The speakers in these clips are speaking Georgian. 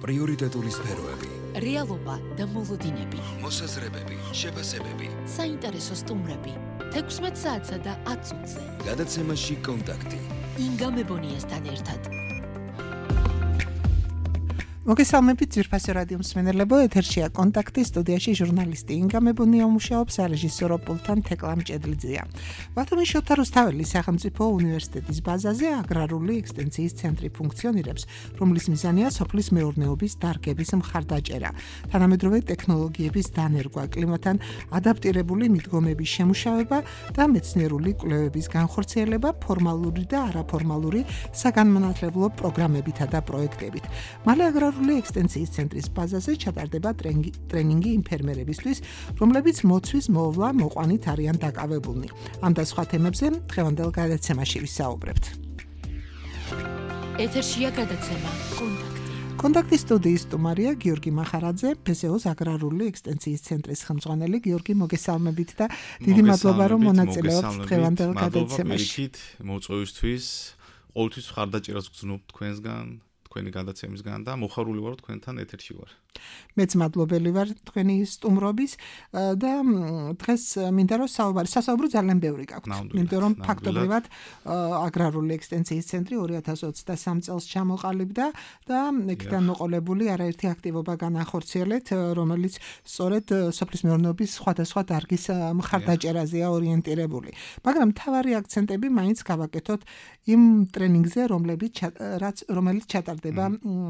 პრიორიტეტული სფეროები, რეალობა და მოლოდინები, მოსაზრებები, შეფასებები, საინტერესო სტუმრები, 16 საათსა და 10 წუთზე. გადაცემაში კონტაქტი. ინგა მებონიასთან ერთად. მოგესალმებით ძვირფასი რადიო მსმენელებო, ეთერშია კონტაქტი, სტუდიაში ჟურნალისტი ინგა მებონია მუშაობს, რეჟისორო პულტთან თეკლა მჭედლიძეა. ბათუმის შოთა რუსთაველის სახელმწიფო უნივერსიტეტის ბაზაზე აგრარული ექსტენციის ცენტრი ფუნქციონირებს, რომლის მიზანია სოფლის მეურნეობის დარგების მხარდაჭერა, თანამედროვე ტექნოლოგიების დანერგვა, კლიმატთან ადაპტირებული მიდგომების შემუშავება და მეცნიერული კვლევების განხორციელება ფორმალური და არაფორმალური საგანმანათლებლო პროგრამებითა და პროექტებით. მალე აგრარული ექსტენციის ცენტრის ბაზაზე ჩატარდება ტრენინგი იმ ფერმერებისთვის, რომლებიც მოცვის მოვლა მოყვანით არიან დაკავებულნი. ამ და სხვა თემებზე დღევანდელ გადაცემაში ვისაუბრებთ. ეთერშია გადაცემა კონტაქტი. კონტაქტის სტუდიის სტუმარია გიორგი მახარაძე, ფსეოს აგრარული ექსტენციის ცენტრის ხელმძღვანელი. გიორგი, მოგესალმებით და დიდი მადლობა რომ მონაწილეობთ დღევანდელ გადაცემაში. მოწვევისთვის, ყოველთვის ხარდაჭერას გრძნობ თქვენსგან, თქვენი გადაცემისგან და მოხარული ვარ თქვენთან ეთერში ვარ. მეც მადლობელი ვარ თქვენი სტუმრობის და დღეს მინდა რომ სასაუბრო ძალიან ბევრი გაქვთ. იმიტომ რომ ფაქტობრივად აგრარული ექსტენციის ცენტრი 2023 წელს ჩამოყალიბდა და იქიდან მოყოლებული არაერთი აქტივობა განახორციელეთ, რომელიც სწორედ სოფლის მეურნეობის სხვადასხვა დარგის მხარდაჭერაზეა ორიენტირებული. მაგრამ მთავარი აქცენტები მაინც გავაკეთოთ იმ ტრენინგზე, რომელიც ჩატარდება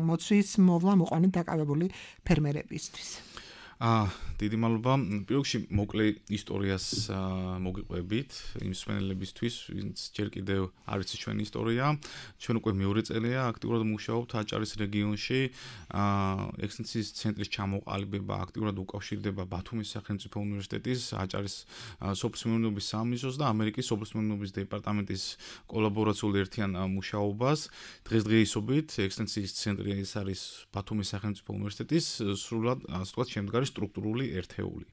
მოცვის მოვლა მოყვანით დაკავებული ფერმერებისთვის. დიდი მადლობა. პირველში მოკლე ისტორიას მოგიყვებით იმ მსმენელებისთვის, ვინც ჯერ კიდევ არ იცის ჩვენი ისტორია. ჩვენ უკვე მეორე წელია აქტიურად მუშაობთ აჭარის რეგიონში. ექსტენციის ცენტრის ჩამოყალიბება აქტიურად უკავშირდება ბათუმის სახელმწიფო უნივერსიტეტის, აჭარის სოფლის მეურნეობის სამინისტროს და ამერიკის სოფლის მეურნეობის დეპარტამენტის კოლაბორაციულ ერთიან მუშაობას. დღესდღეობით ექსტენციის ცენტრი ეს არის ბათუმის სახელმწიფო უნივერსიტეტის სრულად ასე ვთქვათ შემდგარი სტრუქტურული ერთეული.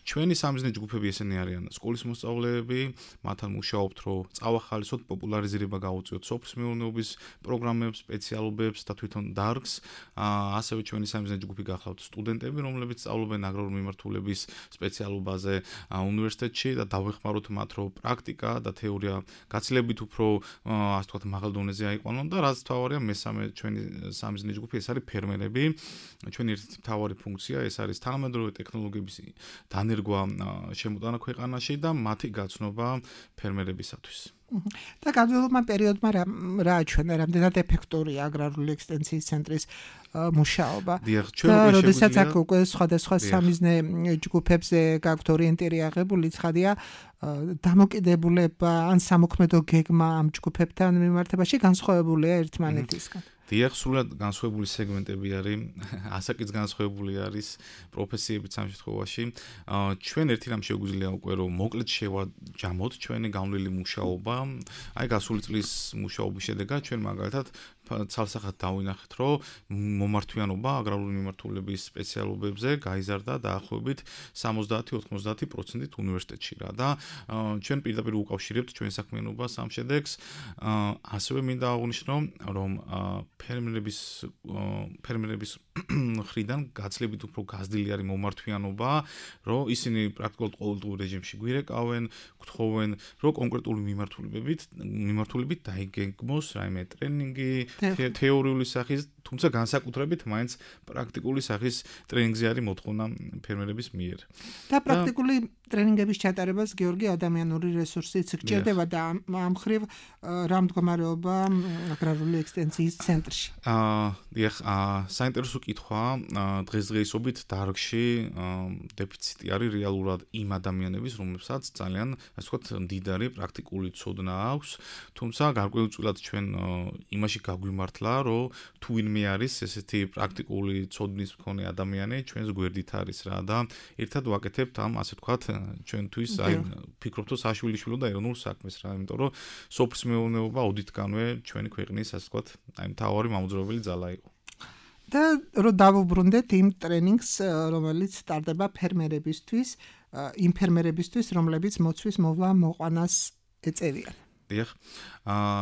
ჩვენი სამიზნე ჯგუფები ესენი არიან: სკოლის მოსწავლეები, მათთან მუშაობთ, რომ წავახალისოთ, პოპულარიზება გაუწიოთ სოფლის მეურნეობის პროგრამებს, სპეციალობებს და თვითონ დარგს. ასევე ჩვენი სამიზნე ჯგუფი გახლავთ სტუდენტები, რომლებიც სწავლობენ აგრარული მიმართულების სპეციალობაზე უნივერსიტეტში და დავეხმაროთ მათ, რომ პრაქტიკა და თეორია გაცილებით უფრო ასე ვთქვათ მაღალ დონეზე აიყვანონ და რაც მთავარია, მესამე ჩვენი სამიზნე ჯგუფი ეს არის ფერმერები. ჩვენი ერთ-ერთი მთავარი ფუნქცია ეს არის თანამედროვე ტექნოლოგიების დანერგვა შემოტანა ქვეყანაში და მათი გაცნობა ფერმერებისათვის. და განმავლობმა პერიოდმა რა აჩვენა, რამდენად ეფექტურია აგრარული ექსტენციის ცენტრის მუშაობა. და როდესაც აქ უკვე სხვადასხვა სამიზნე ჯგუფებზე გაქვთ ორიენტირი აღებული, ცხადია დამოკიდებულება ან სამოქმედო გეგმა ამ ჯგუფებთან მიმართებაში განსხვავებულია ერთმანეთისგან. დიახ, სრულად განსხვავებული სეგმენტები არის, ასაკიც განსხვავებული არის პროფესიებიც ამ შემთხვევაში. ჩვენ ერთი რამ შეგვიძლია უკვე რომ მოკლედ შევაჯამოთ ჩვენი განვლილი მუშაობა. აი გასული წლის მუშაობის შედეგად ჩვენ მაგალითად ცალსახად დავინახეთ, რომ მომართვიანობა აგრარული მიმართულების სპეციალობებზე გაიზარდა დაახლოებით 70-90%-ით უნივერსიტეტში რა და ჩვენ პირდაპირ უკავშირებთ ჩვენ საქმიანობას ამ შედეგს. ასევე მინდა აღვნიშნო, რომ ფერმერების მხრიდან გაცილებით უფრო გაზრდილი არის მომართვიანობა, რომ ისინი პრაქტიკულად ყოველდღიურ რეჟიმში გვირეკავენ, გთხოვენ, რომ კონკრეტული მიმართულებით დაიგეგმოს რაიმე ტრენინგი, თეორიული სახის, თუმცა განსაკუთრებით მაინც პრაქტიკული სახის ტრენინგზე არის მოთხოვნა ფერმერების მიერ. და პრაქტიკული ტრენინგების ჩატარებას გიორგი ადამიანური რესურსიც გჭირდება და ამ მხრივ რა მდგომარეობა აგრარული ექსტენციის ცენტრში. დიახ, საინტერესო კითხვა. დღესდღეობით დარგში დეფიციტი არის რეალურად იმ ადამიანების, რომლებსაც ძალიან ასე ვთქვათ მდიდარი პრაქტიკული ცოდნა აქვს, თუმცა გარკვეულწილად ჩვენ იმაში გაგვიმართლა, რომ თუ ვინმე არის ესეთი პრაქტიკული ცოდნის მქონე ადამიანი, ჩვენს გვერდით არის რა და ერთად ვაკეთებთ ამ ასე ვთქვათ ჩვენთვის აი ფიქრობთ რომ საშვილიშვილო და ეროვნულ საქმეს რა, იმიტომ რომ სოფლის მეურნეობა ოდითგანვე ჩვენი ქვეყნის ასე ვთქვათ აი მთავარი მამოძრავებელი ძალა იყო. და რომ დავუბრუნდეთ იმ ტრენინგს, რომელიც სტარტდება ფერმერებისთვის, იმ ფერმერებისთვის, რომლებიც მოცვის მოვლა მოყვანას ეწევიან. დიახ.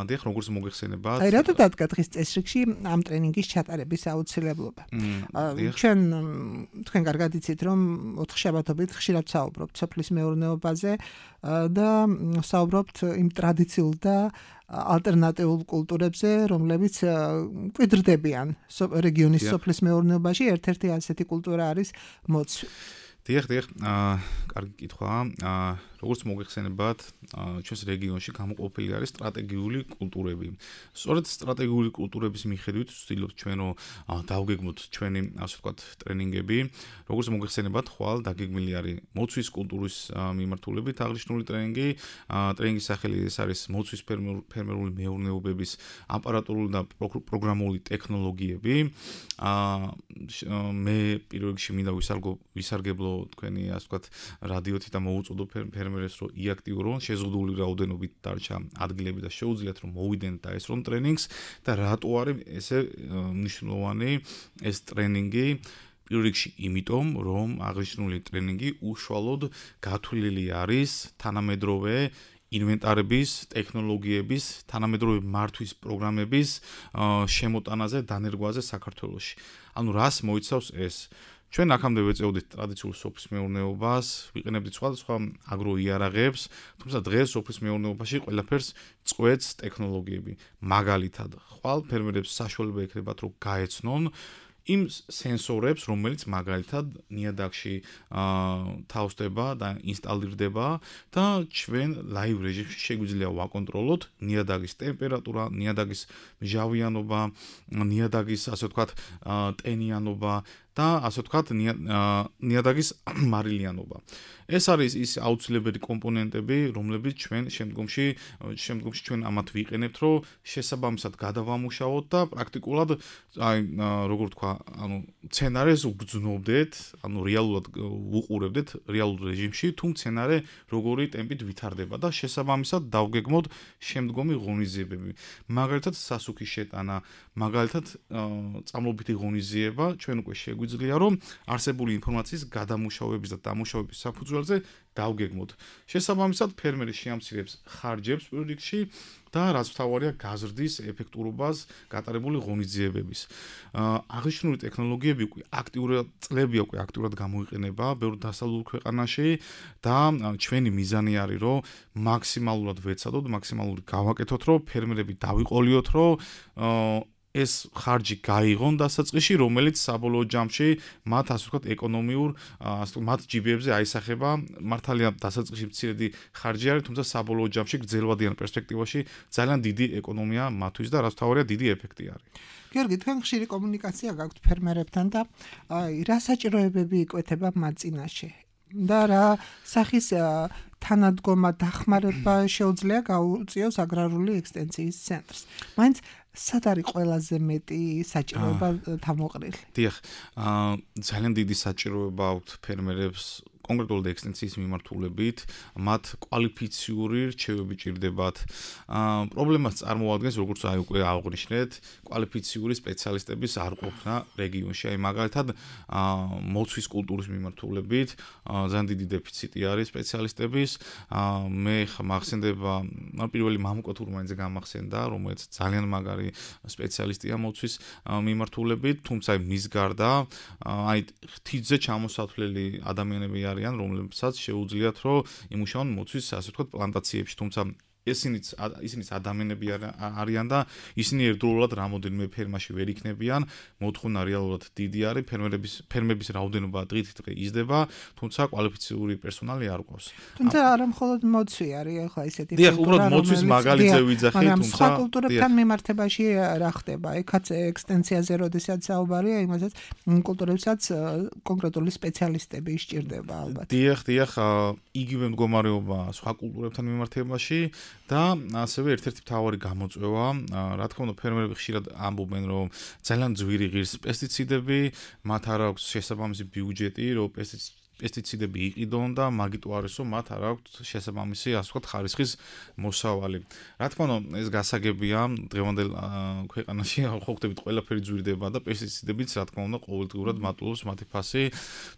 დიახ, როგორც მოგეხსენებათ. აი რატო დადგა დღის წესრიგში ამ ტრენინგის ჩატარების აუცილებლობა? ჩვენ თქვენ კარგად იცით, რომ 4 შაბათობით ხშირად საუბრობთ სოფლის მეურნეობაზე და საუბრობთ იმ ტრადიციულ და ალტერნატიულ კულტურებზე, რომლებიც კვიდრდებიან რეგიონის სოფლის მეურნეობაში. ერთ-ერთი ასეთი კულტურა არის მოცვი. დიახ, კარგი კითხვაა. როგორც მოგეხსენებათ, ჩვენს რეგიონში გამოყოფილი არის სტრატეგიული კულტურები. სწორედ სტრატეგიული კულტურების მიხედვით ვცდილობთ ჩვენ რომ დავგეგმოთ ჩვენი, ასე ვთქვათ, ტრენინგები. როგორც მოგეხსენებათ, ხვალ დაგეგმილი არის მოცვის კულტურის მიმართულებით აღნიშნული ტრენინგი. ტრენინგის სახელი ეს არის მოცვის ფერმერული მეურნეობების აპარატურული და პროგრამული ტექნოლოგიები. მე პირველ რიგში მინდა ვისარგებლო თქვენი, ასე ვთქვათ, რადიოთი და მოუწოდო ფერმერებს რომ იაქტიურონ, შეზღუდული რაოდენობით დარჩა ადგილები და შეუძლიათ რომ მოვიდნენ და ესრონ ტრენინგს და რატო არის ესე მნიშვნელოვანი ეს ტრენინგი? პირველ რიგში იმიტომ, რომ აღნიშნული ტრენინგი უშუალოდ გათვლილი არის თანამედროვე ინვენტარების, ტექნოლოგიების, თანამედროვე მართვის პროგრამების შემოტანაზე, დანერგვაზე საქართველოში. ანუ რას მოიცავს ეს? ჩვენ აქამდე ვეწეოდით ტრადიციულ სოფლის მეურნეობას, ვიყენებდით სხვადასხვა აგროიარაღებს, თუმცა დღეს სოფლის მეურნეობაში ყველაფერს წყვეტს ტექნოლოგიები. მაგალითად, ხვალ ფერმერებს საშუალება ექნებათ, რომ გაეცნონ იმ სენსორებს, რომელიც მაგალითად ნიადაგში თავსდება და ინსტალირდება და ჩვენ ლაივ რეჟიმში შეგვიძლია ვაკონტროლოთ ნიადაგის ტემპერატურა, ნიადაგის მჟავიანობა, ნიადაგის, ასე ვთქვათ, ტენიანობა და ასე ვთქვათ, ნიადაგის მარილიანობა. ეს არის ის აუცილებელი კომპონენტები, რომლებიც ჩვენ შემდგომში ჩვენ ამათ ვიყენებთ, რომ შესაბამისად გადავამუშავოთ და პრაქტიკულად როგორ ვთქვა, სცენარეს უგრძნობდეთ, რეალურად უყურებდეთ რეალურ რეჟიმში, თუ სცენარე როგორი ტემპით ვითარდება და შესაბამისად დავგეგმოთ შემდგომი ღონისძიებები. მაგალითად, სასუქის შეტანა, მაგალითად, წამლობითი ღონისძიება, ჩვენ უკვე შეგვიძლია, რომ არსებული ინფორმაციის გადამუშავების და დამუშავების საფუძველზე დავგეგმოთ. შესაბამისად, ფერმერი შეამცირებს ხარჯებს პირველ რიგში და რაც მთავარია, გაზრდის ეფექტურობას გატარებული ღონისძიებების. აღნიშნული ტექნოლოგიები უკვე აქტიურად გამოიყენება ბევრ დასავლურ ქვეყანაში და ჩვენი მიზანი არის, რომ მაქსიმალურად ვეცადოთ, მაქსიმალურად გავაკეთოთ, რომ ფერმერები დავიყოლიოთ, რომ ეს ხარჯი გაიღონ დასაწყისში, რომელიც საბოლოო ჯამში მათ, ასე ვთქვათ, ეკონომიურ, მათ ჯიბეებზე აისახება. მართალია დასაწყისში მცირედი ხარჯი არის, თუმცა საბოლოო ჯამში გრძელვადიან პერსპექტივაში ძალიან დიდი ეკონომია მათთვის და რაც მთავარია, დიდი ეფექტი არის. გიორგი, თქვენ ხშირი კომუნიკაცია გაქვთ ფერმერებთან და რა საჭიროებები იკვეთება მათ წინაშე? და რა სახის თანადგომა დახმარება შეუძლია გაუწიოს აგრარული ექსტენციის ცენტრს? მაინც სად არის ყველაზე მეტი საჭიროება თავმოყრილი? დიახ, ძალიან დიდი საჭიროება აქვს ფერმერებს კონკრეტულად ექსტენციის მიმართულებით, მათ კვალიფიციური რჩევები ჭირდებათ. პრობლემას წარმოადგენს, როგორც უკვე აღვნიშნეთ, კვალიფიციური სპეციალისტების არ ყოფნა რეგიონში. აი მაგალითად, მოცვის კულტურის მიმართულებით ძალიან დიდი დეფიციტი არის სპეციალისტების. მე მახსენდება, პირველი მამუკა თურმანიძე გამახსენდა, რომელიც ძალიან მაგარი სპეციალისტია მოცვის მიმართულებით, თუმცა მის გარდა აი თითზე ჩამოსათვლელი ადამიანები არიან, რომლებსაც შეუძლიათ რომ იმუშაონ მოცვის, ასე ვთქვათ, პლანტაციებში, თუმცა ისინიც ადამიანები არიან და ისინი ერთდროულად რამოდენიმე ფერმაში ვერ იქნებიან. მოთხოვნა რეალურად დიდი არის, ფერმების რაოდენობა დღით დღე იზრდება, თუმცა კვალიფიციური პერსონალი არ ყავს. თუმცა არა მხოლოდ მოცვი არის, ახლა ისეთი დიახ, უბრალოდ მოცვის მაგალითზე ვიძახი, თუმცა სხვა კულტურებთან მიმართებაში რა ხდება? ეხაც ექსტენციაზე როდესაც საუბარია, იმასაც კულტურებსაც კონკრეტული სპეციალისტები ისჭირდება ალბათ. დიახ, იგივე მდგომარეობა სხვა კულტურებთან მიმართებაში და ასევე ერთ-ერთი მთავარი გამოწვევა, რა თქმა უნდა, ფერმერები ხშირად ამბობენ, რომ ძალიან ძვირი ღირს პესტიციდები, მათ არ აქვს შესაბამისი ბიუჯეტი, რომ პესტიციდები იყიდონ და მაგიტო არის რომ მათ არ აქვთ შესაბამისი ასე ვთქვათ ხარისხის მოსავალი. Რა თქმა უნდა, ეს გასაგებია, დღევანდელ ქვეყანაში ხო ხდებით ყველაფერი ძვირდება და პესტიციდებიც რა თქმა უნდა ყოველდღურად მატულობს მათი ფასი.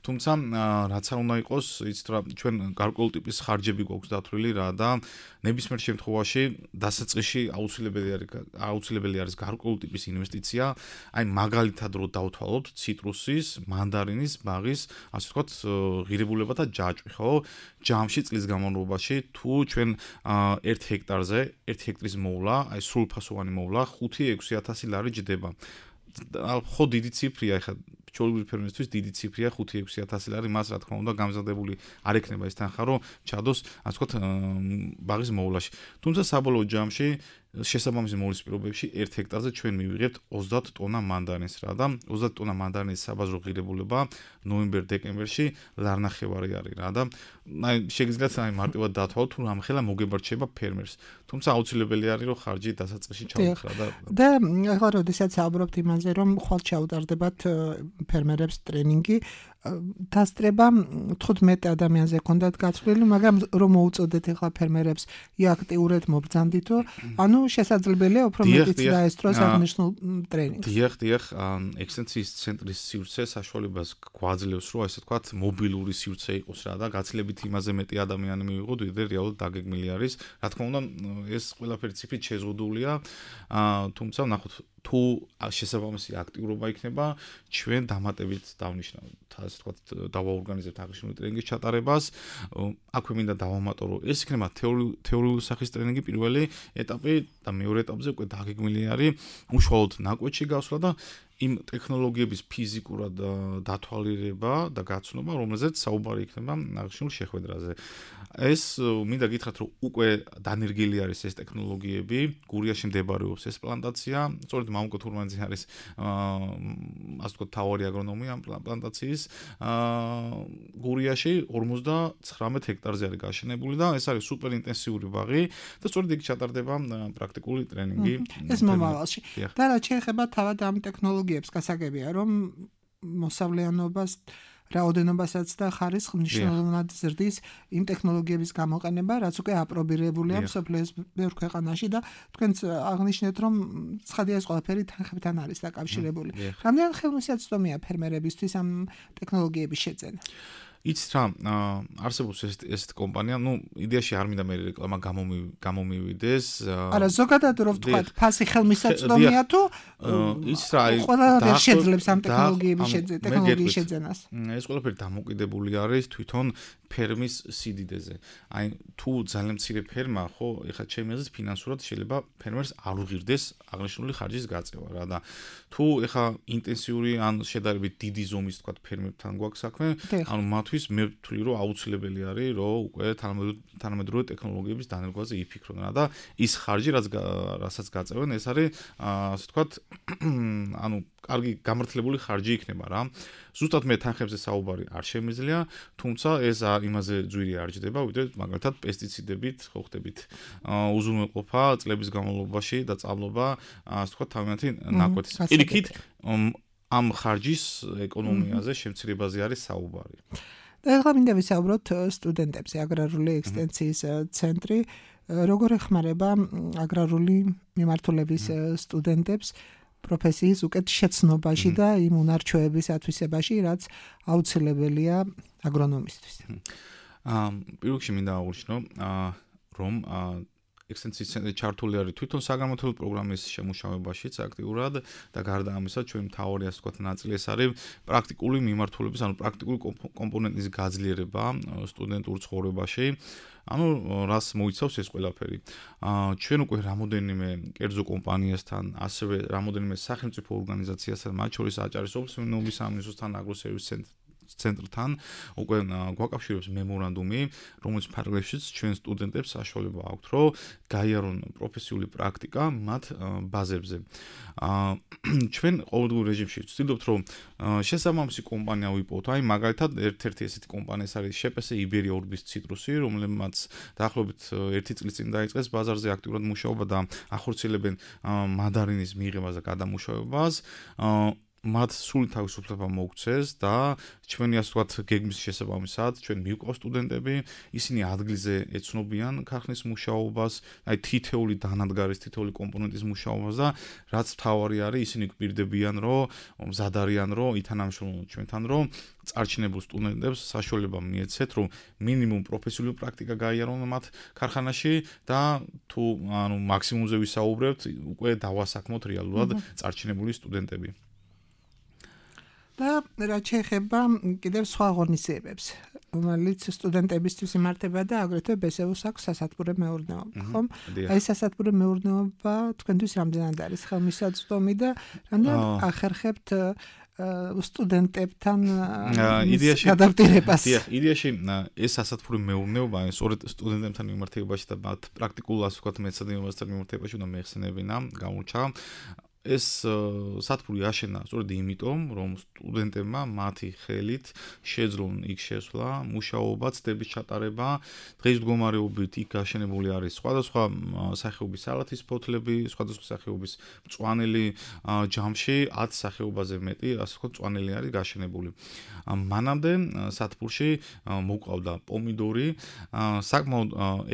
თუმცა რაც არ უნდა იყოს, იცით რა, ჩვენ გარკვეული ტიპის ხარჯები გვაქვს დათვლილი რა და ნებისმიერ შემთხვევაში დასაწყისში აუცილებელი არის გარკვეული ტიპის ინვესტიცია. Აი მაგალითად რო დავთვალოთ ციტრუსის, მანდარინის, ბაღის, ასე ვთქვათ, ღირებულება და ჯაჭვი, ხო? ჯამში წლის განმავლობაში თუ ჩვენ 1 ჰექტარზე 1 ჰექტრის მოვლა, აი სრულფასოვანი მოვლა 5-6 ლარი ჯდება. ხო დიდი ციფრია, ეხლა ჩვეულებრივი ფერმერისთვის დიდი ციფრია 5-6 ლარი, მას რა თქმა უნდა გამზადებული არ ექნება ეს თანხა, რომ ჩადოს, ასე ვთქვათ, ბაღის მოვლაში. თუმცა საბოლოო ჯამში შესაბამისი მოვლის პირობებში 1 ჰექტარზე ჩვენ მივიღებთ 30 ტონა მანდარინს რა და 30 ტონა მანდარინის საბაზრო ღირებულება ნოემბერ-დეკემბერში ლარნახევარი არის რა და აი შეგიძლიათ აი მარტივად დათვალოთ თუ რამხელა მოგებარჩება ფერმერს. თუმცა აუცილებელი არის რომ ხარჯი დასაწყისში ჩავუხრა და ახლა როდესაც საუბრობთ იმაზე რომ ხვალ ჩაუტარდებათ ფერმერებს ტრენინგი დასწრება 15 ადამიანზე ქონდათ გაცვლილი, მაგრამ რომ მოუწოდეთ ახლა ფერმერებს აქტიურად მობრძანდითო, ანუ შესაძლებელია უფრო მეტიც დაესწროს აღნიშნულ ტრენინგს. დიახ, ექსტენსიის ცენტრის სივრცე საშუალებას გვაძლევს, რომ ასე ვთქვათ, მობილური სივრცე იყოს რა და გაცილებით იმაზე მეტი ადამიანი მივიღოთ, ვიდრე რეალურად დაგეგმილი არის. Რა თქმა უნდა, ეს ყველაფერი ციფრით შეზღუდულია, თუმცა ნახოთ თუ შესაბამისი აქტიურობა იქნება, ჩვენ დამატებით დავნიშნავთ, ასე ვთქვათ, დავაორგანიზებთ აღნიშნული ტრენინგის ჩატარებას. აქვე მინდა დავამატო, რომ ეს იქნება თეორიული სახის ტრენინგი პირველი ეტაპი და მეორე ეტაპზე უკვე დაგეგმილი არის უშუალოდ ნაკვეთში გასვლა და იმ ტექნოლოგიების ფიზიკურად დათვალიერება და გაცნობა, რომელზეც საუბარი იქნება აღნიშნულ შეხვედრაზე. ეს მინდა გითხრათ, რომ უკვე დანერგილი არის ეს ტექნოლოგიები, გურიაში მდებარეობს ეს პლანტაცია, სწორედ მამუკო თურმანიძე არის ასე ვთქვათ, თავარი აგრონომი ამ პლანტაციის გურიაში 59 ჰექტარზე არის გაშენებული და ეს არის სუპერ ინტენსიური ბაღი და სწორედ იქ ჩატარდება პრაქტიკული ტრენინგი. ეს მომავალში. და რაც შეეხება თავად ამ ტექნოლოგიებს, გასაგებია, რომ მოსავლიანობას რაოდენობასაც და ხარისხს მნიშვნელოვნად ზრდის იმ ტექნოლოგიების გამოყენება, რაც უკვე აპრობირებულია მსოფლიოს ბევრ ქვეყანაში და თქვენც აღნიშნეთ, რომ ცხადია ეს ყველაფერი თანხებთან არის დაკავშირებული. რამდენად ხელმისაწვდომია ფერმერებისთვის ამ ტექნოლოგიების შეძენა? იცით რა, არსებობს ეს კომპანია, იდეაში არ მინდა მე რეკლამა გამომივიდეს. არა, ზოგადად რო ვთქვათ, ფასი ხელმისაწვდომია თუ იცით რა, ყველა შეძლებს ამ ტექნოლოგიის შეძენას. ეს ყველაფერი დამოკიდებული არის თვითონ ფერმის სიდიდეზე. აი, თუ ძალიან მცირე ფერმა, ხო, ეხლა ჩემი აზრით ფინანსურად შეიძლება ფერმერს არ უღირდეს აღნიშნული ხარჯის გაწევა რა და თუ ეხლა ინტენსიური ან შედარებით დიდი ზომის თქვათ ფერმერთან გვაქვს საქმე, ანუ მათთვის მე ვთვლი რომ აუცილებელი არის რომ უკვე თანამედროვე ტექნოლოგიების დანერგვაზე იფიქრონ რა და ის ხარჯი რასაც გაწევენ ეს არის ასე ვთქვათ ანუ კარგი გამართლებული ხარჯი იქნება რა. ზუსტად მე თანხებზე საუბარი არ შემიძლია, თუმცა ეს იმაზე ძვირი არ ჯდება, ვიდრე მაგალითად პესტიციდებით, ხო ხდებით, უზრუნველყოფა წლების განმავლობაში და წამლობა, ასე ვთქვათ, თავიანთი ნაკვეთის. პირიქით ამ ხარჯის ეკონომიაზე, შემცირებაზე არის საუბარი. და ახლა მინდა ვისაუბროთ სტუდენტებზე, აგრარული ექსტენსიის ცენტრი როგორ ეხმარება აგრარული მიმართულების სტუდენტებს პროფესიის უკეთ შეცნობაში და იმ უნარჩვევების ათვისებაში, რაც აუცილებელია აგრონომისთვის. პირველში მინდა აღვნიშნო, რომ ექსტენსიის ცენტრი ჩართული არის თვითონ საგანმანათლებლო პროგრამის შემუშავებაშიც აქტიურად და გარდა ამისა, ჩვენი მთავარი ასე ვთქვათ ნაწილი ეს არის პრაქტიკული მიმართულების, ანუ პრაქტიკული კომპონენტის გაძლიერება სტუდენტურ ცხოვრებაში. ანუ რას მოიცავს ეს ყველაფერი? ჩვენ უკვე რამოდენიმე კერძო კომპანიასთან, ასევე რამოდენიმე სახელმწიფო ორგანიზაციასთან, მათ შორის აჭარისობის მეურნეობის სამინისტროსთან, აგროსერვის ცენტრთან უკვე გვაკავშირებს მემორანდუმი, რომელიც ფარგლებშიც ჩვენ სტუდენტებს საშუალება აქვთ, რომ გაიარონ პროფესიული პრაქტიკა მათ ბაზებზე. ჩვენ ყოველდღიურ რეჟიმში ვცდილობთ, რომ შესაბამისი კომპანია ვიპოვოთ. აი, მაგალითად, ერთ-ერთი ესეთი კომპანია არის შეპესე იბერია ურბის ციტრუსი, რომელმაც დაახლოებით 1 წლის წინ დაიწყეს ბაზარზე აქტიურად მუშაობა და ახორციელებენ მანდარინის მიღებას და გადამუშავებას. მათ სული თავისუფლება მოუქცეს და ჩვენი ასე ვთქვათ გეგმის შესაბამისად ჩვენ მივყავს სტუდენტები, ისინი ადგილზე ეცნობიან ქარხნის მუშაობას, აი თითეული დანადგარის, თითეული კომპონენტის მუშაობას და რაც მთავარი არის, ისინი გვპირდებიან, რომ მზად არიან, რომ ითანამშრომლონ ჩვენთან, რომ წარჩინებულ სტუდენტებს საშუალება მიეცეთ, რომ მინიმუმ პროფესიული პრაქტიკა გაიარონ მათ ქარხანაში და თუ ანუ მაქსიმუმზე ვისაუბრებთ, უკვე დავასაქმოთ რეალურად წარჩინებული სტუდენტები. და რაც შეეხება კიდევ სხვა ღონისძიებებს, რომელიც სტუდენტებისთვის იმართება და აგრეთვე ბესეუს აქვს სასათბურე მეურნეობა, ხომ? აი სასათბურე მეურნეობა თქვენთვის რამდენად არის ხელმისაწვდომი და რამდენად ახერხებთ სტუდენტებთან ადაპტირებას. იდეაში ეს სასათბურე მეურნეობა სწორედ სტუდენტებთან მიმართებაში და მათ პრაქტიკულ ასე ვთქვათ მეცადინეობასთან მიმართებაში უნდა მეხსენებინა, გამოჩა. ეს სათბური აშენა სწორედ იმიტომ, რომ სტუდენტებმა მათი ხელით შეძლონ იქ შესვლა, მუშაობა, ცდების ჩატარება, დღის მდგომარეობით იქ გაშენებული არის სხვადასხვა სახეობის სალათის ფოთლები, სხვადასხვა სახეობის მწვანელი ჯამში 10 სახეობაზე მეტი, ასე ვთქვათ, მწვანელი არის გაშენებული. მანამდე სათბურში მოყავდა პომიდორი, საკმაოდ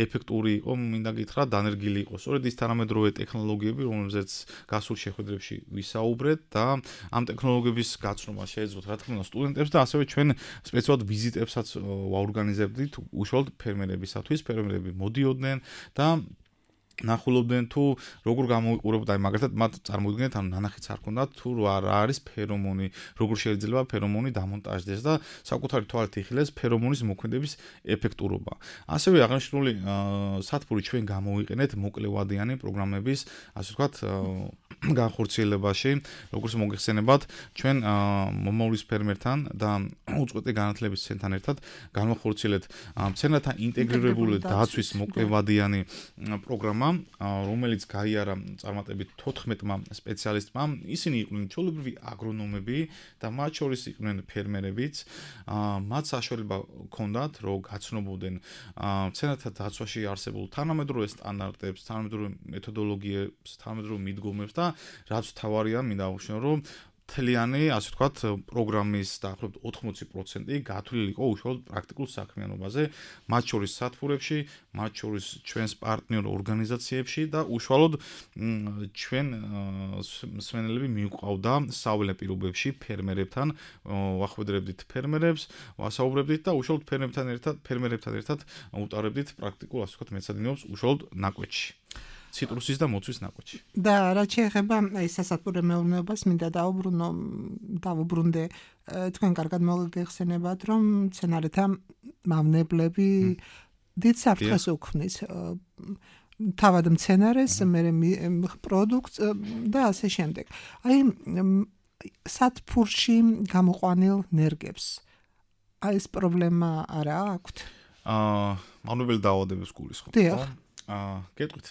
ეფექტური იყო, მინდა გითხრა, დანერგილი იყო. სწორედ ის თანამედროვე ტექნოლოგიები, რომელზეც გასულ შეხვედრებში ვისაუბრეთ და ამ ტექნოლოგიების გაცნობა შეეძლოთ რა თქმა უნდა სტუდენტებს და ასევე ჩვენ სპეციალურად ვიზიტებსაც ვაორგანიზებდით უშუალოდ ფერმერებისათვის. ფერმერები მოდიოდნენ და ნახულობდნენ თუ როგორ გამოიყურებოდა აი მაგალითად მათ წარმოიდგინეთ ანუ ნანახიც არ ქონდათ თუ რა არის ფერომონი, როგორ შეიძლება ფერომონი დამონტაჟდეს და საკუთარი თვალით იხილეს ფერომონის მოქმედების ეფექტურობა. ასევე აღნიშნული სათბური ჩვენ გამოვიყენეთ მოკლევადიანი პროგრამების ასე ვთქვათ განხორციელებაში, როგორც მოგეხსენებათ, ჩვენ მომავლის ფერმერთან და უწყვეტი განათლების ცენტრთან ერთად განვახორციელეთ მცენარეთა ინტეგრირებული დაცვის მოკლევადიანი პროგრამა, რომელიც გაიარა წარმატებით 14-მა სპეციალისტმა. ისინი იყვნენ ჩვეულებრივი აგრონომები და მათ შორის იყვნენ ფერმერებიც. მათ საშუალება ჰქონდათ, რომ გაცნობოდნენ მცენარეთა დაცვაში არსებულ თანამედროვე სტანდარტებს, თანამედროვე მეთოდოლოგიებს, თანამედროვე მიდგომებს და რაც თავარია, მინდა აღვნიშნო, რომ მთლიანი, ასე ვთქვათ, პროგრამის დაახლოებით 80% გათვლილი იყო უშუალოდ პრაქტიკულ საქმიანობაზე, მათ შორის სათბურებში, მათ შორის ჩვენს პარტნიორ ორგანიზაციებში და უშუალოდ ჩვენ მსმენელები მიუყვავდა საველე პირობებში ფერმერებთან, ვახვედრებდით ფერმერებს, ვასაუბრებდით და უშუალოდ ფერმერებთან ერთად უტარებდით პრაქტიკულ, ასე ვთქვათ, მეცადინეობს უშუალოდ ნაკვეთში. ციტრუსის და მოცვის ნაკვეთში. და რაც შეეხება აი სასათბურე მეურნეობას, მინდა დავუბრუნდე თქვენ კარგად მოგეხსენებათ, რომ მცენარეთა მავნებლები დიდ საფრთხეს უქმნის თავად მცენარეს, მერე პროდუქტს და ასე შემდეგ. აი სათბურში გამოყვანილ ნერგებს აი ეს პრობლემა არა აქვთ? მავნებელი დაავადების გულისხმობ. დიახ. გეტყვით,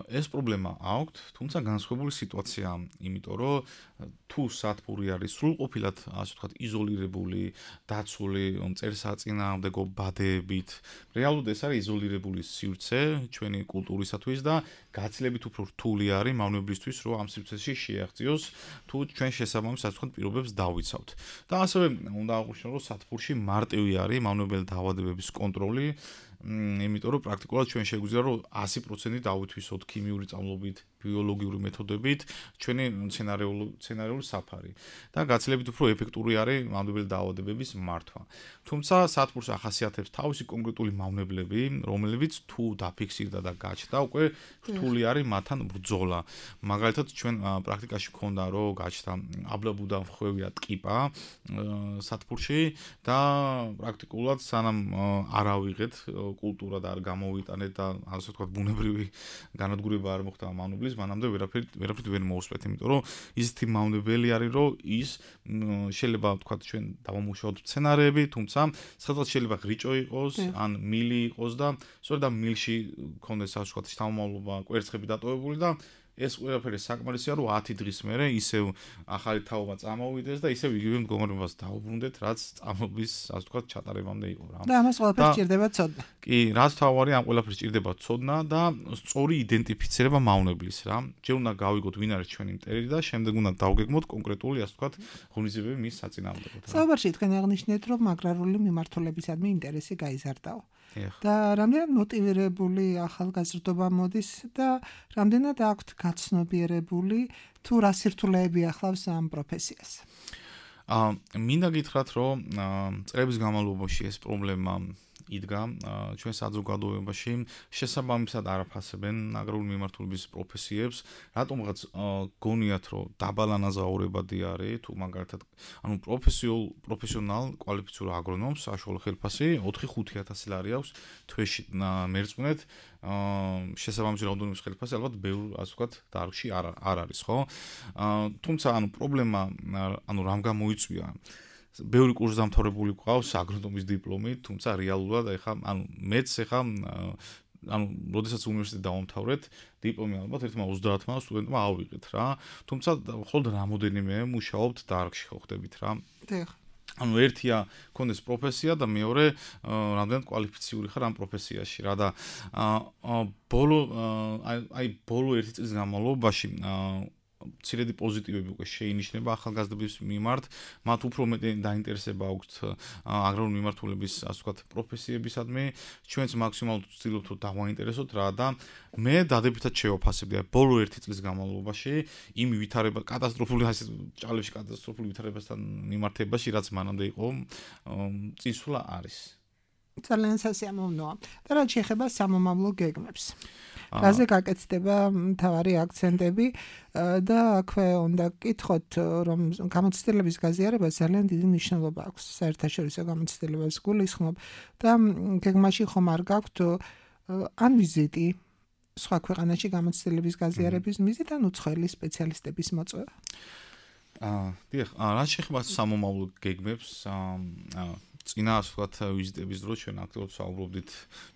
ეს პრობლემა აქვთ, თუმცა განსხვავებული სიტუაცია, იმიტომ რომ თუ სათბური არის სრულყოფილად, ასე ვთქვათ, იზოლირებული, დაცული, მწერსაწინააღმდეგო ბადეებით, რეალურად ეს არის იზოლირებული სივრცე ჩვენი კულტურისათვის და გაცილებით უფრო რთული არის მავნებლისთვის, რომ ამ სივრცეში შეაღწიოს, თუ ჩვენ შესაბამის, ასე ვთქვათ, პირობებს დავიცავთ. და ასევე უნდა აღვნიშნო, რომ სათბურში მარტივი არის მავნებელი დაავადებების კონტროლი, იმიტომ რომ პრაქტიკულად ჩვენ შეგვიძლია რომ 100% დავითვისოთ ქიმიური წამლობით, ბიოლოგიური მეთოდებით ჩვენი მცენარეული საფარი და გაცილებით უფრო ეფექტური არის მავნებელი დაავადებების მართვა. თუმცა სათბურს ახასიათებს თავისი კონკრეტული მავნებლები, რომლებიც თუ დაფიქსირდა და გაჩნდა, უკვე რთული არის მათთან ბრძოლა. მაგალითად ჩვენ პრაქტიკაში გქონდა რომ გაჩნდა აბლაბუდა მხვევია ტკიპა სათბურში და პრაქტიკულად სანამ არ ავიღეთ კულტურა და არ გამოვიტანეთ და ასე ვთქვათ ბუნებრივი განადგურება არ მოხდა მავნებლის, მანამდე ვერაფრით ვერ მოусვეთ, იმიტომ რომ ისეთი მავნებელი არის, რომ ის შეიძლება ვთქვათ ჩვენ დავამუშავოთ მცენარეები, თუმცა სადღაც შეიძლება ღრიჭო იყოს, ან მილი იყოს და სწორედ ამ მილში ქონდეს ასე ვთქვათ შთამომავლობა, კვერცხები დატოვებული და ეს ყველაფერი საკმარისია, რომ 10 დღის მერე ისევ ახალი თაობა წამოვიდეს და ისევ იგივე მდგომარეობას დაუბრუნდეთ, რაც წამობის, ასე ვთქვათ, ჩატარებამდე იყო რა. და ამას ყველაფერს სჭირდება ცოდნა. კი, რაც თავარი ამ ყველაფერს სჭირდება ცოდნა და სწორი იდენტიფიცირება მავნებლის რა. ჯერ უნდა გავიგოთ ვინ არის ჩვენი მტერი და შემდეგ უნდა დავგეგმოთ კონკრეტული, ასე ვთქვათ, ღონისძიებები მის საწინააღმდეგოდ. საუბარში თქვენ აღნიშნეთ, რომ აგრარული მიმართულებისადმი ინტერესი გაიზარდაო. და რამდენად მოტივირებული ახალგაზრდობა მოდის და რამდენად აქვთ გაცნობიერებული თუ რა სირთულეები ახლავს ამ პროფესიას. მინდა გითხრათ, რომ წლების განმავლობაში ეს პრობლემა იდგა ჩვენ საზოგადოებაში შესაბამისად არაფასებენ აგრარული მიმართულების პროფესიებს, რატომღაც გონიათ, რომ დაბალანაზღაურებადი არის, თუ მაგალითად, ანუ პროფესიონალ კვალიფიციურ აგრონომს საშუალო ხელფასი 4-5 ლარი აქვს თვეში მერწმუნეთ, შესაბამისი რაოდენობის ხელფასი ალბათ ბევრ, ასე ვთქვათ, დარგში არ არის, ხო? თუმცა, ანუ პრობლემა, ანუ რამ გამოიწვია? ბევრი კურსდამთავრებული გვყავს აგრონომის დიპლომით, თუმცა რეალურად ეხა ანუ მეც ეხა ანუ როდესაც უნივერსიტეტი დავამთავრეთ, დიპლომი ალბათ ერთმა 30-მა სტუდენტმა ავიღეთ რა. თუმცა მხოლოდ რამოდენიმე მუშაობთ დარგში ხო ხდებით რა. ანუ ერთია კონდეს პროფესია და მეორე რამდენად კვალიფიციური ხარ ამ პროფესიაში რა და ბოლო ერთი წლის განმავლობაში ცირედი პოზიტივები უკვე შეინიშნება ახალგაზრდების მიმართ, მათ უფრო მეტი დაინტერესება აქვთ აგრარული მიმართულების, ასე ვთქვათ, პროფესიებისადმი, ჩვენც მაქსიმალურად ვცდილობთ, რომ დავაინტერესოთ რა და მე დადებითად შევაფასებდი ბოლო ერთი წლის განმავლობაში იმ ვითარება კატასტროფული ჭალებში კატასტროფული ვითარებასთან მიმართებაში, რაც მანამდე იყო, წინსვლა არის. ძალიან სასიამოვნოა. და რაც შეეხება სამომავლო გეგმებს. რაზე გაკეთდება მთავარი აქცენტები და აქვე უნდა გკითხოთ, რომ გამოცდილების გაზიარება ძალიან დიდი მნიშვნელობა აქვს საერთაშორისო გამოცდილებას გულისხმობ და გეგმაში ხომ არ გაქვთ ან ვიზიტი სხვა ქვეყანაში გამოცდილების გაზიარების მიზნით ან უცხოელი სპეციალისტების მოწვევა. დიახ, რაც შეეხება სამომავლო გეგმებს, წინა ასე ვთქვათ ვიზიტების დროს ჩვენ აქტიურად საუბრობდით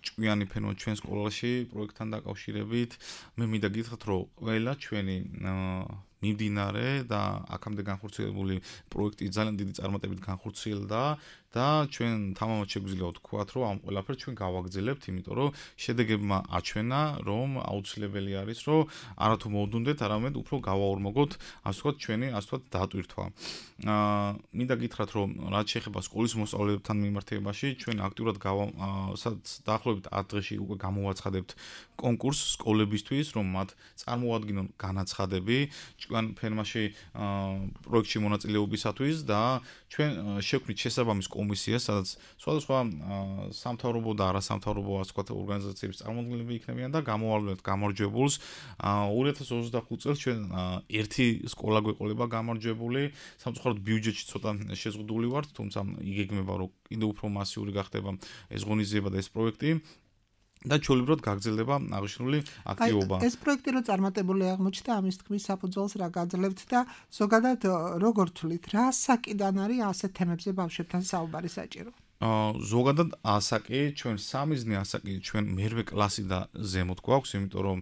ჭკვიანი ფენო ჩვენ სკოლაში პროექტთან დაკავშირებით. მე მინდა გითხრათ, რომ ყველა ჩვენი მიმდინარე და აქამდე განხორციელებული პროექტი ძალიან დიდი წარმატებით განხორციელდა და ჩვენ თამამად შეგვიძლია ვთქვათ, რომ ამ ყველაფერს ჩვენ გავაგრძელებთ, იმიტომ რომ შედეგებმა აჩვენა, რომ აუცილებელი არის, რომ არათუ მოვდუნდეთ, არამედ უფრო გავაორმოგოთ, ასე ვთქვათ, ჩვენი ასე ვთქვათ დატვირთვა. მინდა გითხრათ, რომ რაც შეეხება სკოლის მოსწავლეებთან მიმართებაში, ჩვენ აქტიურად დაახლოებით 10 დღეში უკვე გამოვაცხადებთ კონკურსს სკოლებისთვის, რომ მათ წარმოადგინონ განაცხადები ჭკვიან ფერმაში პროექტში მონაწილეობისათვის და ჩვენ შევქმნით შესაბამის კომისიას, სადაც სხვადასხვა სამთავრობო და არასამთავრობო ასე ვთქვათ ორგანიზაციების წარმომადგენლები იქნებიან და გამოვავლენთ გამარჯვებულს. 2025 წელს ჩვენ ერთი სკოლა გვეყოლება გამარჯვებული, სამწუხაროდ ბიუჯეტში ცოტა შეზღუდული ვართ, თუმცა იგეგმება, რომ კიდევ უფრო მასიური გახდება ეს ღონისძიება და ეს პროექტი. და ჩვეულებრივად გაგრძელდება აღნიშნული აქტივობა. ეს პროექტი რო წარმატებული აღმოჩნდა, ამის თქმის საფუძველს რა გაძლევთ და ზოგადად როგორ თვლით, რა საკიდან არის ასეთ თემებზე ბავშვებთან საუბარი საჭირო? ზოგადად ასაკი, ჩვენ სამიზნე ასაკი, ჩვენ მერვე კლასი და ზემოთ გვაქვს, იმიტომ რომ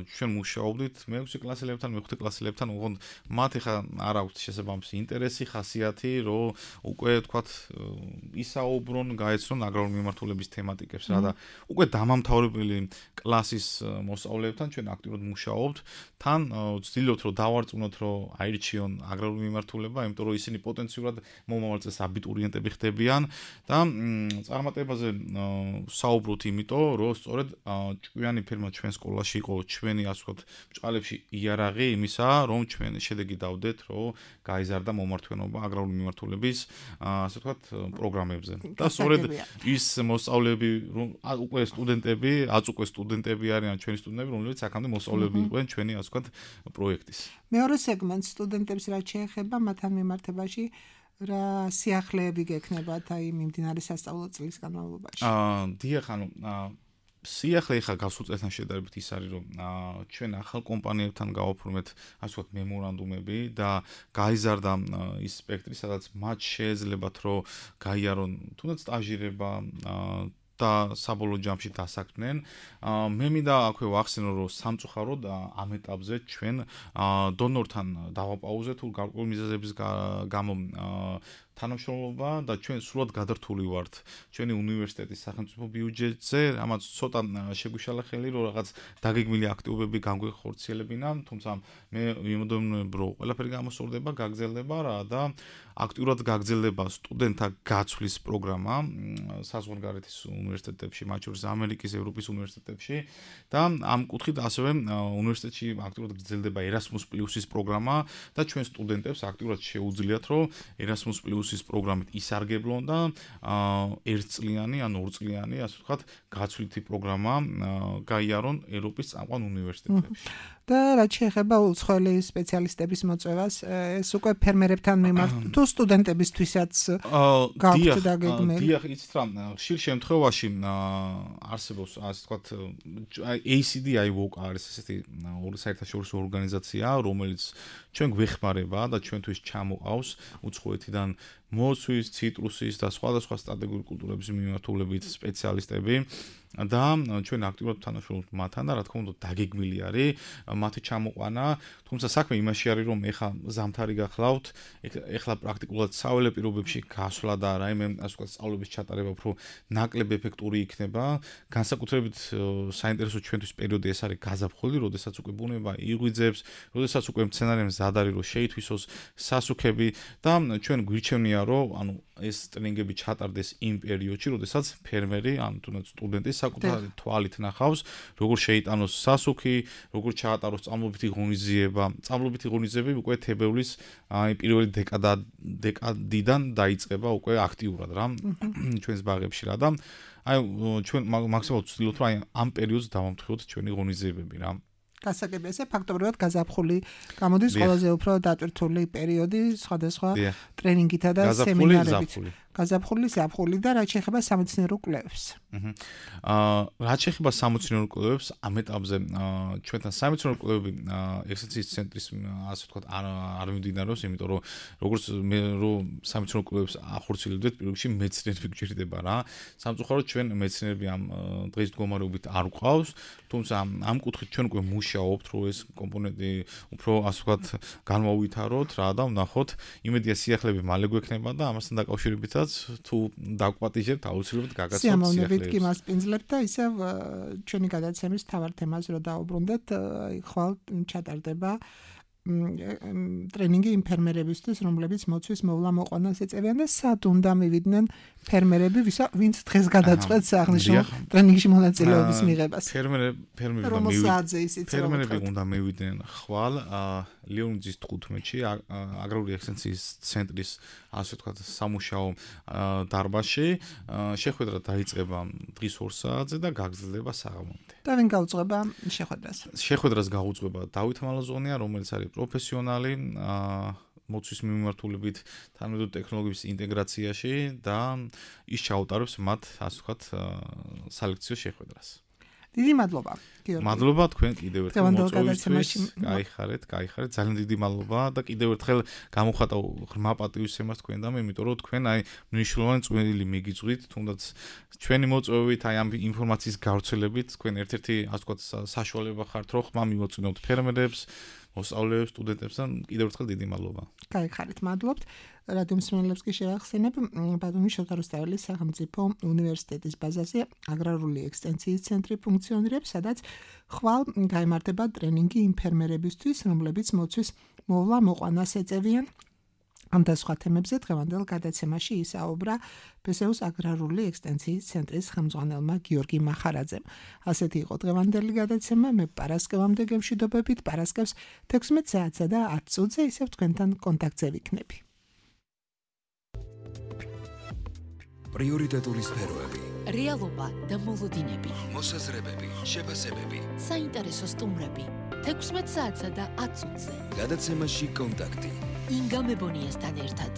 ჩვენ მუშაობდით მე-6 კლასელებთან, მე-5 კლასელებთან, უღონდ მათ ეხა არ აქვთ შესაბამისი ინტერესი, ხასიათი, რომ უკვე თქვათ ისაუბრონ, გაეცნონ აგრარული მიმართულების თემატიკებს რა და უკვე დამამთავრებელი კლასის მოსწავლეებთან ჩვენ აქტიურად მუშაობთ, თან ვცდილობთ, რომ დავარწმუნოთ, რომ აირჩიონ აგრარული მიმართულება, იმიტომ რომ ისინი პოტენციურად მომავალ წელს აბიტურიენტები ხდებიან. და წარმატებაზე საუბრობთ იმიტომ, რომ სწორედ ჭკვიანი ფერმა ჩვენ სკოლაში იყო ჩვენი ასე ვთქვათ ბჭყალებში იარაღი იმისა, რომ ჩვენ შედეგი დავდეთ, რომ გაიზარდა მომართვენობა აგრარული მიმართულების ასე ვთქვათ პროგრამებზე. და სწორედ ის მოსწავლეები, რომ უკვე სტუდენტები, უკვე სტუდენტები არიან ჩვენი სტუდენტები, რომლებიც აქამდე მოსწავლეები იყვნენ ჩვენი ასე ვთქვათ პროექტის. მეორე სეგმენტ სტუდენტებს რაც შეეხება მათთან მიმართებაში რა სიახლეები გექნებათ აი მიმდინარე სასწავლო წლის განმავლობაში? დიახ, ანუ სიახლე ხა გასულ წელთან შედარებით ის არის, რომ ჩვენ ახალ კომპანიებთან გავაფორმეთ ასე ვთქვათ მემორანდუმები და გაიზარდა ის სპექტრი, სადაც მათ შეეძლებათ, რომ გაიარონ თუნდაც სტაჟირება და საბოლოო ჯამში დასაქმდნენ. მე მინდა აქვე ვახსენო, რომ სამწუხაროდ ამ ეტაპზე ჩვენ დონორთან დავაპაუზეთ თუ გარკვეული მიზეზების გამო თანამშრომლობა და ჩვენ სრულად გადართული ვართ ჩვენი უნივერსიტეტის სახელმწიფო ბიუჯეტზე, რამაც ცოტა შეგვიშალა ხელი, რომ რაღაც დაგეგმილი აქტივობები განგვეხორციელებინა, თუმცა მე ვიმოდროინებ, რომ ყველაფერი გამოსწორდება, გაგრძელდება რა და აქტიურად გაგრძელდება სტუდენტთა გაცვლის პროგრამა საზღვარგარეთის უნივერსიტეტებში, მათ შორის ამერიკის, ევროპის უნივერსიტეტებში და ამ კუთხით ასევე უნივერსიტეტში აქტიურად გრძელდება Erasmus+-ის პროგრამა და ჩვენ სტუდენტებს აქტიურად შეუძლიათ, რომ Erasmus+-ის პროგრამით ისარგებლონ და ერთწლიანი ან ორწლიანი, ასე ვთქვათ, გაცვლითი პროგრამა გაიარონ ევროპის წამყვან უნივერსიტეტებში. და რაც შეეხება უცხოელი სპეციალისტების მოწვევას, ეს უკვე ფერმერებთან მიმართ თუ სტუდენტებისთვისაც გაქვთ დაგეგმილი. დიახ, იცით რა, ხშირ შემთხვევაში არსებობს, ასე ვთქვათ, ACDI WOC არის ესეთი საერთაშორისო ორგანიზაცია, რომელიც ჩვენ გვეხმარება და ჩვენთვის ჩამოყავს უცხოეთიდან მოცვის, ციტრუსის და სხვადასხვა სტრატეგიული კულტურების მიმართულებით სპეციალისტები და ჩვენ აქტიურად თანამშრომლობთ მათთან და რა თქმა უნდა დაგეგმილი არის მათი ჩამოყვანა, თუმცა საქმე იმაში არის, რომ ეხლა ზამთარი გახლავთ, ეხლა პრაქტიკულად საველე პირობებში გასვლა და რაიმე ასე ვთქვათ სწავლების ჩატარება უფრო ნაკლებ ეფექტური იქნება. განსაკუთრებით საინტერესო ჩვენთვის პერიოდი ეს არის გაზაფხული, როდესაც უკვე ბუნება იღვიძებს, როდესაც უკვე მცენარე მზად არის, რომ შეითვისოს სასუქები და ჩვენ გვირჩევნია, რომ ანუ ეს ტრენინგები ჩატარდეს იმ პერიოდში, როდესაც ფერმერი, ანუ თუნდაც სტუდენტი საკუთარი თვალით ნახავს, როგორ შეიტანოს სასუქი, როგორ ჩაატაროს წამლობითი ღონისძიება. წამლობითი ღონისძიებები უკვე თებერვლის პირველი დეკადიდან დაიწყება უკვე აქტიურად რა ჩვენს ბაღებში რა და ჩვენ მაქსიმალურად ვცდილობთ, რომ ამ პერიოდს დავამტყიოთ ჩვენი ღონისძიებები რა. გასაგებია ესე ფაქტობრივად გაზაფხული გამოდის ყველაზე უფრო დატვირთული პერიოდი სხვადასხვა ტრენინგითა და სემინარებით. გაზაფხული, ზაფხული და რაც შეეხება სამეცნიერო კვლევებს. რაც შეეხება სამეცნიერო კვლევებს, ამ ეტაპზე ჩვენთან სამეცნიერო კვლევები ექსცენტრიის ცენტრის ასე ვთქვათ არ მიმდინარეობს, იმიტომ რომ როგორც მე რომ სამეცნიერო კვლევებს ახორციელებდეთ, პირველში მეცნიერები გვჭირდება რა. სამწუხაროდ ჩვენ მეცნიერები ამ დღის მდგომარეობით არ გვყავს, თუმცა ამ კუთხით ჩვენ უკვე მუშაობთ, რომ ეს კომპონენტი უფრო ასე ვთქვათ განმოვითაროთ რა და ვნახოთ, იმედია სიახლეები მალე გვექნება და ამასთან დაკავშირებით თუ დაგვპატიჟებთ აუცილებლად გაგაცნობთ სიახლეებს. სიამოვნებით კი მასპინძლებთ და ისევ ჩვენი გადაცემის თავარ თემაზე რომ დაუბრუნდეთ, ხვალ ჩატარდება ტრენინგი იმ ფერმერებისთვის, რომლებიც მოცვის მოვლა მოყვანას ეწევიან და სად უნდა მივიდნენ ფერმერები, ვინც დღეს გადაწყვეტს აღნიშნულ ტრენინგში მონაწილეობის მიღებას. ფერმერები უნდა მივიდნენ ხვალ ლეონიძის 15-ში აგრარული ექსცენტრიის ცენტრის ასე ვთქვათ სამუშაო დარბაზში. შეხვედრა დაიწყება დღის 2 საათზე და გაგრძელდება საღამომდე. და ვინ გაუძღვება შეხვედრას? შეხვედრას გაუძღვება დავით მალაზონია, რომელიც არის პროფესიონალი მოცვის მიმართულებით თანამედროვე ტექნოლოგიების ინტეგრაციაში და ის ჩაუტარებს მათ ასე ვთქვათ სალექციო შეხვედრას. დიდი მადლობა, გიორგი. მადლობა თქვენ კიდევ ერთხელ მოწვევისთვის. გაიხარეთ. ძალიან დიდი მადლობა და კიდევ ერთხელ გამოხატა ღრმა პატივისცემას თქვენდამე, იმიტომ რომ თქვენ მნიშვნელოვანი წვლილი მიგიწვით, თუნდაც ჩვენი მოწვევით, ამ ინფორმაციის გავრცელებით, თქვენ ერთ-ერთი ასე ვთქვათ საშუალება ხართ, რომ ხმა მივაწვინოთ ფერმერებს, მოსწავლეებს, სტუდენტებს და კიდევ ერთხელ დიდი მადლობა. გაიხარეთ, მადლობთ. რადიო მსმენელებს კი შევახსენებ, ბათუმის შოთა რუსთაველის სახელმწიფო უნივერსიტეტის ბაზაზე აგრარული ექსტენსიის ცენტრი ფუნქციონირებს, სადაც ხვალ გაიმართება ტრენინგი იმ ფერმერებისთვის, რომლებიც მოცვის მოვლა მოყვანას ეწევიან. ამ და სხვა თემებზე დღევანდელ გადაცემაში ისაუბრა ფსეუს აგრარული ექსტენსიის ცენტრის ხელმძღვანელმა გიორგი მახარაძემ. ასეთი იყო დღევანდელი გადაცემა. მე პარასკევამდე გემშვიდობებით, პარასკევს 16 საათსა და 10 წუთზე ისევ თქვენთან კონტაქტზე ვიქნები. პრიორიტეტული სფეროები, რეალობა და მოლოდინები, მოსაზრებები, შეფასებები, საინტერესო სტუმრები, 16 საათსა და 10 წუთზე. გადაცემაში კონტაქტი. ინგა მებონიასთან ერთად.